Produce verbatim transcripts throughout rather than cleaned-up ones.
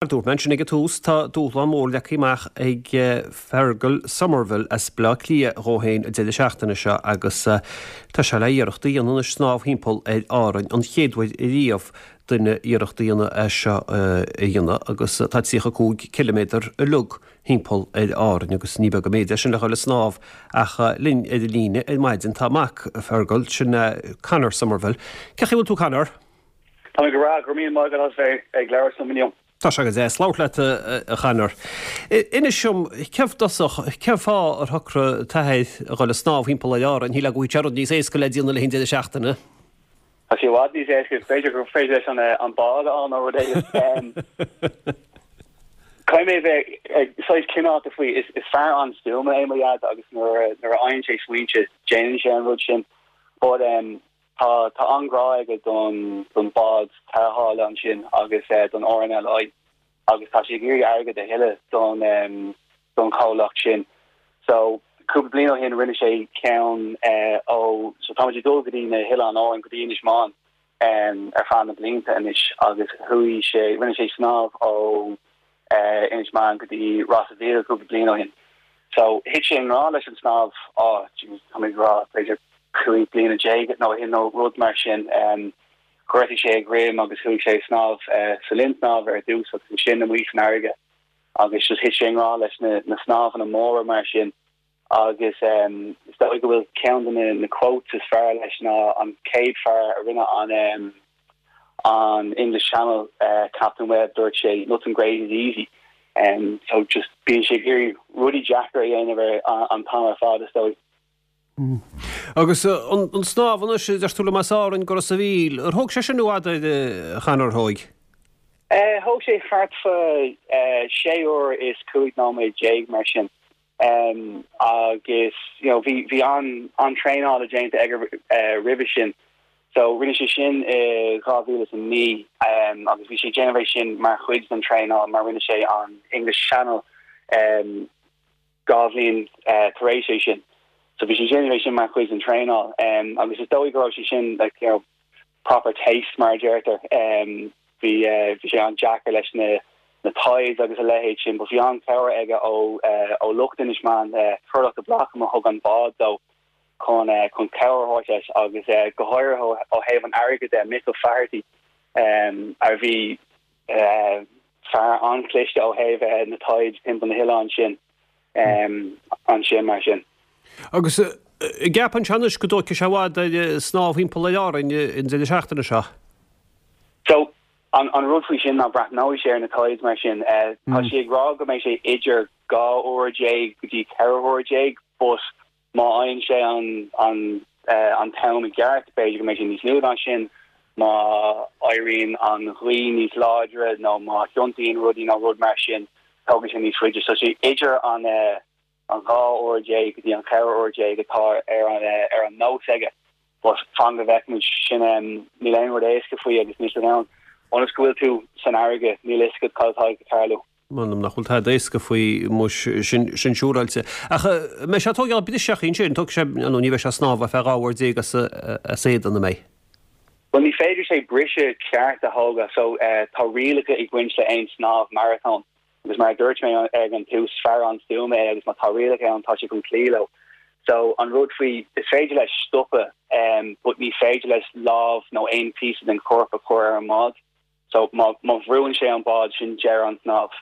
Dúirt mé ansin ag an tús tá dúshlán mór leagtha amach ag Fergal Somerville as Baile Átha Cliath dhó féin an deireadh seachtaine seo agus tá sé le iarracht a dhéanamh anois snámh thimpeall ar Árainn an chéad uair riamh duine iarracht a dhéanamh é seo a dhéanamh agus tá tríocha cúig ciliméadar uilig thimpeall ar Árainn agus ní beag an méid é sin le dhul ag snámh ach linn ar an líne ar maidin tá mac Fergal sin Conor Somerville. Cén chaoi a bhfuil tú Conor? Tá go breá go raibh maith agat as bheith ag labhairt liom inniu. Tá sé go deas labhairt leat a Chonor. Inis dom cén dosach cén fáth ar shocraigh t'athair a dhul ag snámh thimpeall ar Árainn shílfeá go bhfuil rud níos éasca le déanamh le deireadh seachtaine. Tá sé i bhfad níos éasca b'fhéidir gur féidir leis an an bád an rud éigin. Caithfidh mé bheith saghas cineálta faoi is is fear an-stuama é mo dhaid agus nuair nuair a fhaigheann sé smaointe déanann sé an rud sin. But um, tá tá an-ghrá aige don don bád tarrthála ansin agus uh, don RNLI agus tá sé ag iarraidh airgead a thuilleamh don um, don chomhlacht sin. So cúpla bliain ó shin rinne sé ceann uh, ó so tá dul go dtí na hOileáin Árann go dtí Inis Meáin um, ar feadh na blianta anois agus chuaigh sé rinne sé snámh ó uh, Inis Meáin go dtí Ros an Mhíl cúpla bliain ó shin. So thit sé i ngrá leis an snámh á tá rá b'fhéidir cúig bliana déag nó in nó rud mar sin um, chuirtí sé greim agus chuaigh sé snámh uh, sa linn snámh ar dtús agus sin amuigh san fharraige agus just thit sé i ngrá leis na, na snámhanna móra mar sin agus um, is dóigh go bhfuil ceann de na, na quotes is fearr leis ná an céad fear a rinne an um, an English Channel uh, Captain Webb dúirt sé nothing great is easy. Um, so just bíonn sé ag iarraidh rudaí deacra a dhéanamh an t-am ar fad is dóigh. Mm. Agus an snámh anois deir tú liom as Árainn go Ros an Mhíl, ar thóg sé sin i bhfad a Chonor thóg? Thóg sé thart fá sé uair is cúig nóiméad déag mar sin. Um, agus you know, bhí bhí an an traenáil déanta aige uh, roimhe sin. So rinne sé sin i dhá mhíle is a naoi um, agus bhí sé déanamh sin mar chuid den traenáil mar rinne sé an English Channel um, dhá bhliain uh, tar éis é sin. So bhí sé déanamh sin mar chuid den traenáil um, agus is dóigh go raibh sé sin like, you know, proper taste mar a deirtear um, bhí uh, bhí sé an-deacair leis na na tides agus a leithéid sin, but bhí an-chabhair aige ó uh, ó lucht Inis Meáin uh, Turlough de Blacam a thug an bád dó chun uh, chun cabhair leis agus uh, go háirithe ó thaobh an airgid de Michael Faherty um, a bhí uh, fear an-chliste ó thaobh uh, na tides timpeall na hoileáin sin um, ansin mar sin. Agus ceapann sé anois go dtógfaidh sé i bhfad snámh thimpeall ar Árainn an deireadh seachtaine seo. So an, an rud faoi sin ná breathnóidh sé ar na tides mar sin uh, tá mm. sé ag rá go mbeidh sé idir dhá uair déag go dtí ceithre huair déag but má fhaigheann sé an an uh, an t-am i gceart b'fhéidir go mbeidh sé níos lú ná sin má éiríonn an ghaoth níos láidre nó má thiontaíonn rudaí nó rud mar sin tógann sé níos faide so sé idir an uh, an dhá uair déag go dtí an ceithre huair déag atá ar an uh, ar an nós aige but fan go bhfeicfimid sin um, níl aon rud éasca faoi agus níl ann ionas go bhfuil tú san fharraige níl a fhios agat cad atá ag tarlú. M'anam nach bhfuil tada éasca faoi muis sin sin siúráilte. Ach mbeidh sé tógáil briseadh sin tóg sé nó ní bheidh sé ag snámh ar feadh dhá uair déag as as éadan na mé. Well ní féidir sé briseadh ceart a thógáil so uh, tá rialacha ag baint le aon snámh marathon. Agus mar dúirt mé ag an tús fear an-stuama é agus má tá rialacha ann tá sé chun cloí leo. So an rud faoi is féidir leis stopadh um, but ní féidir leis lámh nó aon píosa den chorp a chur ar an mbád. So má má bhrúnn sé an bád sin deireadh an snámh.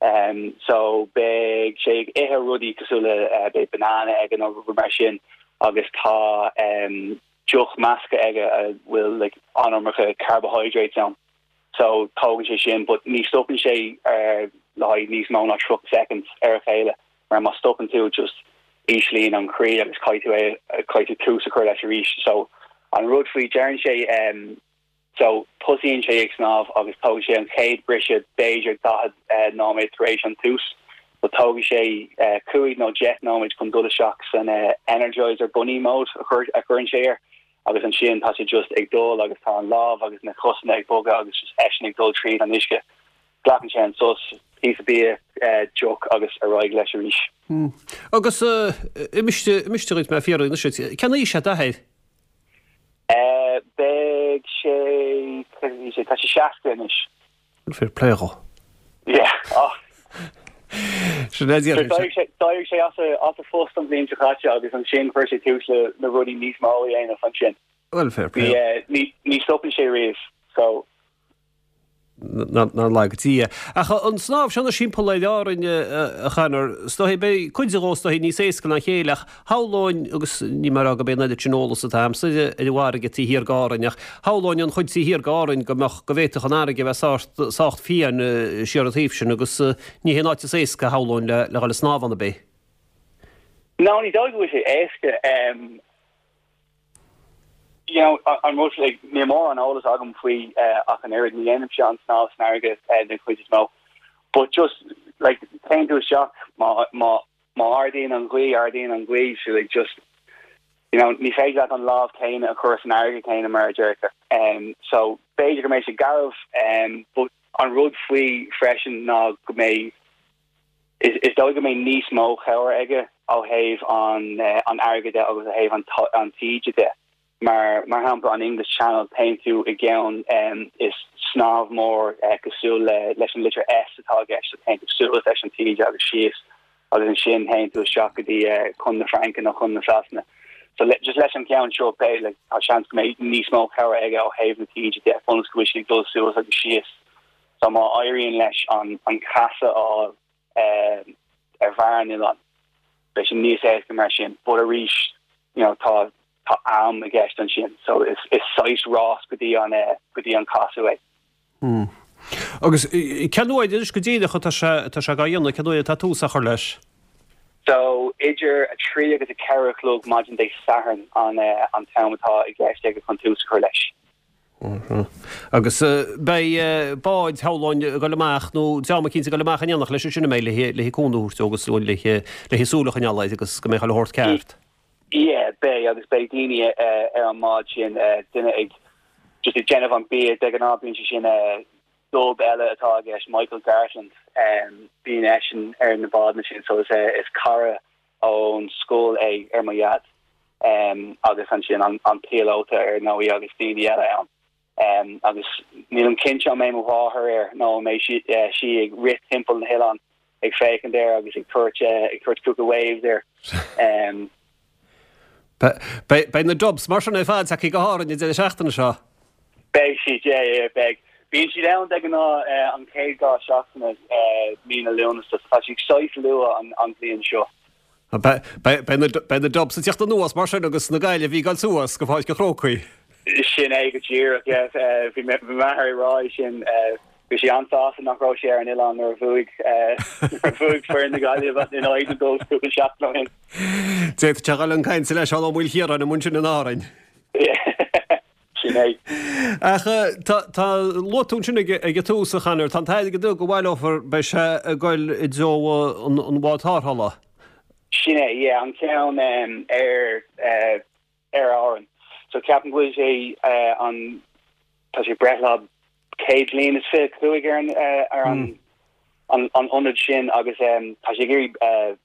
Um, so beidh sé ag ithe rudaí cosúil le uh, beidh banana aige nó rud mar sin agus tá um, deoch measctha aige a bhfuil like, an-iomarca carbohydrates ann. So tógann sé sin, but ní stopann sé uh, le haghaidh níos mó ná tríocha seconds ar a chéile mar má stopann tú just íslíonn an croí agus caithfidh tú é caithfidh tú tús a chur leis arís. So an rud faoi deireann sé um, so tosaíonn sé ag snámh agus tógann sé an chéad briseadh b'fhéidir daichead uh, nóiméad tar éis an tús. So tógann sé uh, cúig nó deich nóiméad chun dul isteach san uh, energizer bunny mode a chur a chuireann sé air. agus ansin tá sé just ag dul agus tá an lámh agus na cosanna ag bogadh agus just eisean ag dul tríd an uisce. Glacann sé an sos píosa bia uh, deoch agus ar aghaidh leis arís. Hmm. Agus uh, imiste imiste mé fiú cén aois é d'athair? Uh, beidh sé sé tá sé seasca anois. Fair play dhó. Sin é déarfainn. D'éirigh sé d'éirigh sé as a as a phost an bhliain seo caite agus ansin chuir sé tús le na rudaí níos mó a dhéanamh ansin. Well fair play. Ní eh, ní ní stopann sé riamh. So Nár laga Dia. Ach an snámh seo timpeall ar Árainn a Chonor, is dóigh beidh cuid de is dóigh níos éasca ná a chéile ach shamhlóinn agus ní mar go b'é an oiread sin eolas atá a'msa ar an bhfarraige taobh thiar d'Árainn ach shamhlóinn an chuid taobh thiar d'Árainn go mbeadh go bhféadfadh an fharraige bheith sách sách fiáin siar an taobh sin agus ní hé an áit is éasca shamhlóinn le le dhul ag snámh ann ab é. No ní dóigh go bhfuil sé éasca um, you know, an rud like, níl mórán eolas agam faoi uh, ach an oiread ní dhéanaimse an snámh san fharraige uh, den chuid is mó. But just like téann tú isteach má má má ardaíonn an ghaoth ardaíonn an ghaoth so like just you know ní féidir leat an lámh céanna a chur san fharraige céanna mar a deirtear. Um, so b'fhéidir go mbeidh sé garbh um, but an rud faoi freisin ná go mbeidh is, is dóigh go mbeidh níos mó cabhair aige ó thaobh an uh, an fharraige de agus ó thaobh an an taoide de. Mar mar shampla an English Channel téann tú i gceann um, is snámh mór uh, cosúil le leis an litir S atá aige so téann tú suas leis an taoide agus síos agus ansin téann tú isteach go dtí uh, chun na Fraince nó chun na Sasana. So le, just leis an ceann seo pé like, tá seans go mbeidh níos mó cabhair aige ó thaobh na taoide de ionas go bhfuil sé ag dul suas agus síos. So má éiríonn leis an an casadh á uh, ar bharr an oileáin. Beidh sé níos éasca mar sin, but arís you know, tá tá am i gceist ansin, so is is saghas rás go dtí an uh, go dtí an casadh é. Hmm. Agus cén uair anois go díreach atá sé atá sé á dhéanamh cén uair atá tús á chur leis? So idir a trí agus a ceathair a chlog maidin Dé Sathairn an uh, an t-am atá i gceist aige chun tús a chur leis. Agus beidh báid shamhlóinn ag dul amach nó dream eicínt ag dul amach in éineacht leis sin mé le le cúnamh a thabhairt agus le le súil a choinneáil air agus go mbeidh chuile shórt ceart. Yeah, beidh agus beidh daoine uh, ar an mbád sin uh, duine ag just ag déanamh an bia de ghnáth bíonn sé sin uh, dub eile atá aige Michael Gartland um, bíonn eisean ar na báid sin so is, uh, is cara ón scoil é ar mo dhaid um, agus ansin an, an píolóta ar ndóigh agus daoine eile ann. Um, agus nílim cinnte an mbeidh mo mháthair air nó mbeidh sí, uh, sí ag rith timpeall na hoileán ag féachaint air agus ag tabhairt uh, ag tabhairt cúpla waves air. Um, Beidh na dubs mar sin ar fad tagtha go hÁrainn an deireadh seachtaine seo. Beidh siad yeah, yeah, beidh. Bíonn siad ann de ghnáth uh, an chéad dhá seachtaine uh, mí na Lúnasa tá siad saghas luath an, an bhliain seo. Beidh na dubs ag teacht anuas mar sin agus na Gaillimhigh ag dul suas go Páirc an Chrócaigh. Sin é go díreach bhí m'athair ag rá sin bhí sé an-sásta nach raibh sé ar an oileán nuair a bhuaigh bhuaigh foireann na Gaillimhe in aghaidh na Dubs cúpla seachtain ó shin. D'fhéadfadh sé dhul chun cainte le Seán Ó Maoilchiaráin i mbun sin in Árainn. Sin é. Ach tá luaigh tú sin ag ag tús a Chonor, tá an t-airgead go bhaileofar beidh sé ag dul i dtreo an an bhád tarrthála. Sin é yeah, an ceann um, ar uh, ar Árainn. So ceapaim go bhfuil sé uh, an tá sé breithlá céad bliain is fiche cúig ar an uh, ar an an an ionad sin agus um, tá sé ag iarraidh uh,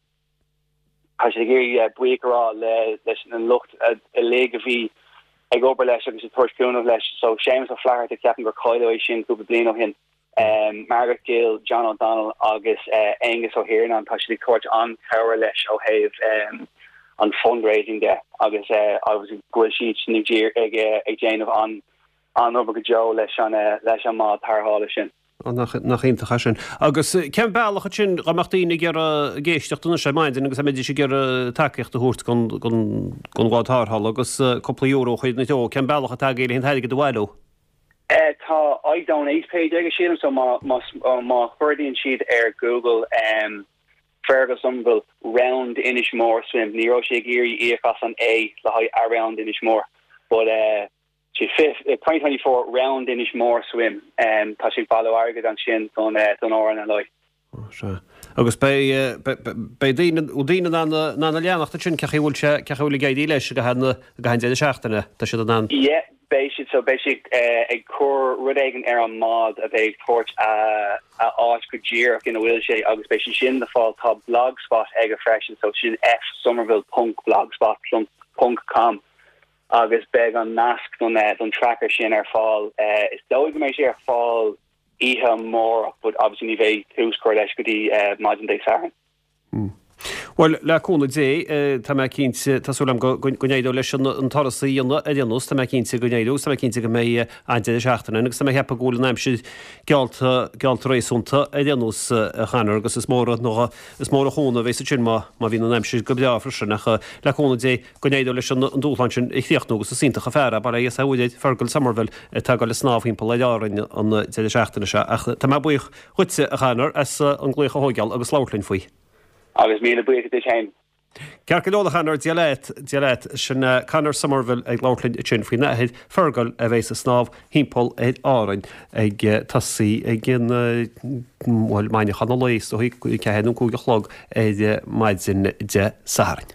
tá sé ag iarraidh uh, buíochas a rá le leis an lucht uilig a bhí ag obair leis agus ag tabhairt cúnamh leis so Séamus Ó Flatharta ceapaim gur cailleadh é sin cúpla bliain ó shin. Um, Margaret Gill, John O'Donnell agus uh, Angus O'Hiarnan tá siad ag tabhairt an-chabhair leis ó thaobh um, an fundraising de agus uh, agus go bhfuil siad sin ag ag ag déanamh an an obair go deo leis an uh, leis an mbád tarrthála sin. Nach nach iontach sin. Agus cén bealach sin go mbeadh daoine ag iarraidh ag éisteacht anois ar maidin agus a mbeidís ag iarraidh tacaíocht a thabhairt don don don bhád tarrthála agus cúpla euro chuid na deo cén bealach atá aige le an t-airgead a bhailiú. Uh, tá iDonate page aige sílim so má má má chuardaíonn siad ar Google um, Fergal Somerville round Inishmore swim ní raibh sé ag iarraidh íoc as an A le haghaidh around Inishmore but uh, sé twenty twenty four round Inishmore swim um, tá sé ag bailiú airgead ansin don uh, don RNLI. Sea. Agus beidh beidh daoine ó daoine in ann in ann a leanacht sin cén chaoi a bhfuil sé cén chaoi a bhfuil ag éirí leis go han go han deireadh seachtaine tá siad in ann. Yeah, beidh siad so beidh siad uh, ag cur rud éigin ar an mbád a bheidh ag tabhairt a a áit go díreach ina bhfuil sé agus beidh sé sin le fáil tá blogspot aige freisin so sin fsomerville ponc blogspot ponc com agus beidh an nasc don uh, don tracker sin ar fáil uh, is dóigh go mbeidh sé ar fáil oíche amárach but obviously ní bheidh tús curtha leis go dtí uh, maidin Dé Sathairn. Bhuel, le cúnamh Dé, tá mé cinnte, tá súil agam go n-éireoidh leis an turas a dhéanamh ar aon nós, tá mé cinnte go n-éireoidh agus tá mé cinnte go mbeidh an-deireadh seachtaine ann agus tá mé ag ceapadh go bhfuil an aimsir geallta, geallta réasúnta ar aon nós, a Chonor, agus is mór an, is mór an chúnamh a bheas ansin má, má bhíonn an aimsir go breá freisin ach le cúnamh Dé go n-éireoidh leis an dúshlán sin a chríochnú agus is iontach an fear é, bail ó Dhia air Fergal Somerville atá ag dul ag snámh thimpeall ar Árainn an deireadh seachtaine seo ach tá mé buíoch dhuitse, a Chonor, as an glaoch a thógáil agus labhairt linn faoi. Agus míle buíochas duit féin. Ceart go leor a Chonor, Dia leat, Dia leat. Sin Conor Somerville ag labhairt linn ansin faoina athair Fergal a bheas ag snámh thimpeall ar Árainn ag tosaí ag an, bhuel, maidneachan an lae, is dóigh, ceathair nó cúig a chlog ar maidin Dé Sathairn.